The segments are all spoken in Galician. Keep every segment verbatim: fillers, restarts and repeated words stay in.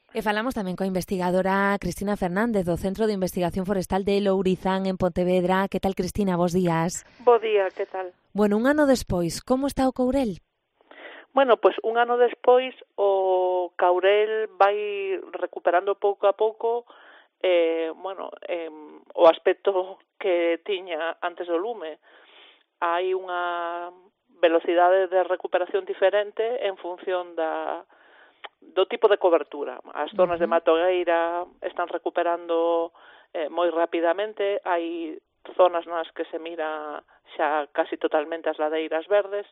E falamos tamén coa investigadora Cristina Fernández do Centro de Investigación Forestal de Lourizán en Pontevedra. Que tal, Cristina? Bos días. Bo día, que tal? Bueno, un ano despois, como está o Courel? Bueno, pois un ano despois o Courel vai recuperando pouco a pouco eh, bueno, eh, o aspecto que tiña antes do lume. Hai unha velocidade de recuperación diferente en función da do tipo de cobertura. As zonas uh-huh. de matogueira están recuperando eh, moi rapidamente, hai zonas nas que se mira xa casi totalmente as ladeiras verdes,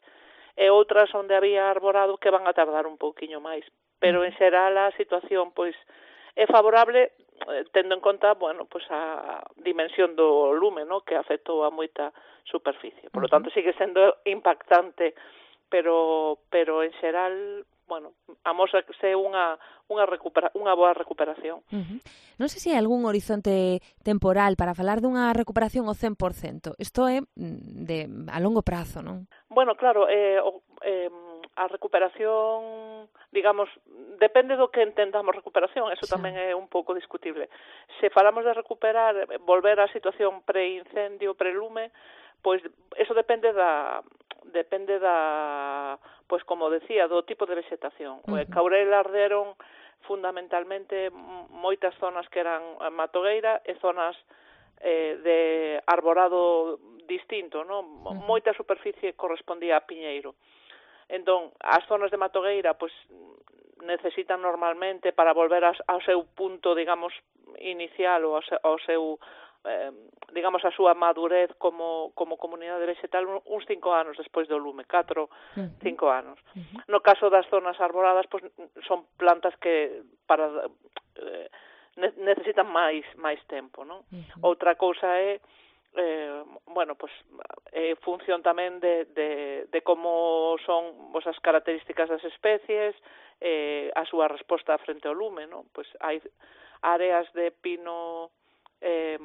e outras onde había arborado que van a tardar un pouquiño máis. Pero en xeral a situación pois é favorable eh, tendo en conta, bueno, pois a dimensión do lume, no, que afectou a moita superficie. Por lo tanto, sigue sendo impactante, pero pero en xeral, bueno, amósase unha unha recupera unha boa recuperación. Uh-huh. Non sei se hai algún horizonte temporal para falar dunha recuperación ao cen por cento. Isto é de a longo prazo, non? Bueno, claro, eh, o, eh, a recuperación, digamos, depende do que entendamos recuperación, eso sí. Tamén é un pouco discutible. Se falamos de recuperar, volver á situación pre-incendio, pre-lume, pois eso depende da depende da, pois como decía, do tipo de vegetación. Uh-huh. O Courel arderon fundamentalmente moitas zonas que eran matogueira e zonas eh, de arborado distinto, non? Uh-huh. Moita superficie correspondía a piñeiro. Entón, as zonas de matogueira, pois necesitan normalmente para volver ao seu punto, digamos, inicial ou ao seu Eh, digamos, a súa madurez como, como comunidade vegetal uns cinco anos despois do lume, catro, uh-huh. cinco anos. Uh-huh. No caso das zonas arboladas, pois, son plantas que para eh, necesitan máis máis tempo, non? Uh-huh. Outra cousa é eh, bueno, pois é función tamén de, de, de como son pois, as características das especies, eh, a súa resposta frente ao lume, non? Pois hai áreas de pino eh,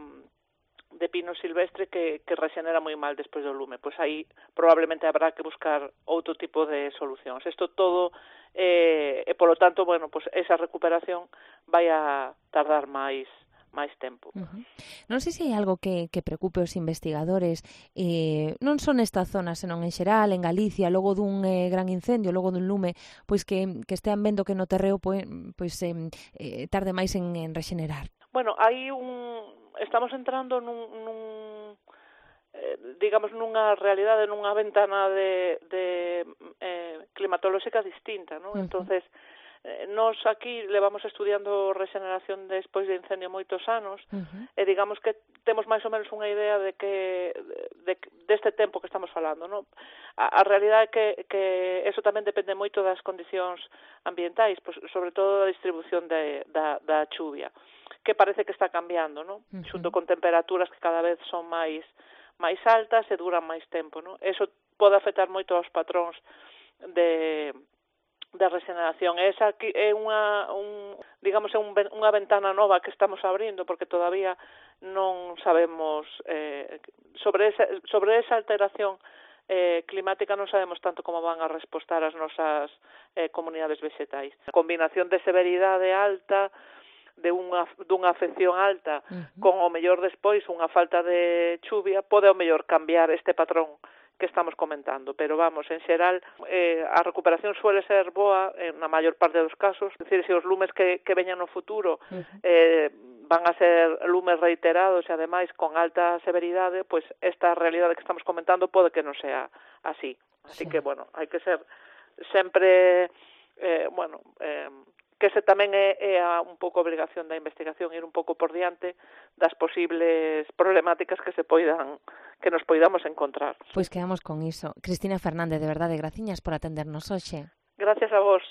de pino silvestre que, que regenera moi mal despois do lume, pois aí probablemente habrá que buscar outro tipo de solucións. Isto todo eh, e polo tanto, bueno, pois esa recuperación vai a tardar máis máis tempo. Uh-huh. Non sei se hai algo que, que preocupe os investigadores, eh, non son nesta zona, senón en xeral, en Galicia, logo dun eh, gran incendio, logo dun lume, pois que, que estean vendo que no terreo pois, pois eh, eh, tarde máis en, en regenerar. Bueno, hai un estamos entrando nun, nun eh, digamos, nunha realidade, nunha ventana de, de eh, climatolóxica distinta, non? Uh-huh. Entonces, eh, nós aquí levamos estudiando regeneración despois de incendio moitos anos, uh-huh. e digamos que temos máis ou menos unha idea de que de, deste tempo que estamos falando, non? A, a realidade é que, que eso tamén depende moito das condicións ambientais, pois, sobre todo da distribución de, da, da chuvia, que parece que está cambiando, ¿no? Uh-huh. Xunto con temperaturas que cada vez son máis máis altas e duran máis tempo, ¿no? Eso pode afectar moito aos patróns de de regeneración. Esa aquí é unha un, digamos, é un, unha ventana nova que estamos abrindo porque todavía non sabemos eh, sobre esa sobre esa alteración eh, climática non sabemos tanto como van a respostar as nosas eh, comunidades vegetais. A combinación de severidade alta de unha dunha afección alta, uh-huh. con o mellor despois unha falta de chuvia, pode o mellor cambiar este patrón que estamos comentando, pero vamos, en xeral eh, a recuperación suele ser boa en na maior parte dos casos, é dicir, se os lumes que, que veñan no futuro uh-huh. eh, van a ser lumes reiterados e ademais con alta severidade, pois esta realidade que estamos comentando pode que non sea así, así sí. que bueno, hai que ser sempre eh, bueno, eh, que ese tamén é, é a, un pouco a obrigación da investigación, ir un pouco por diante das posibles problemáticas que se poidan que nos poidamos encontrar. Pois quedamos con iso. Cristina Fernández, de verdade, graciñas por atendernos hoxe. Gracias a vos.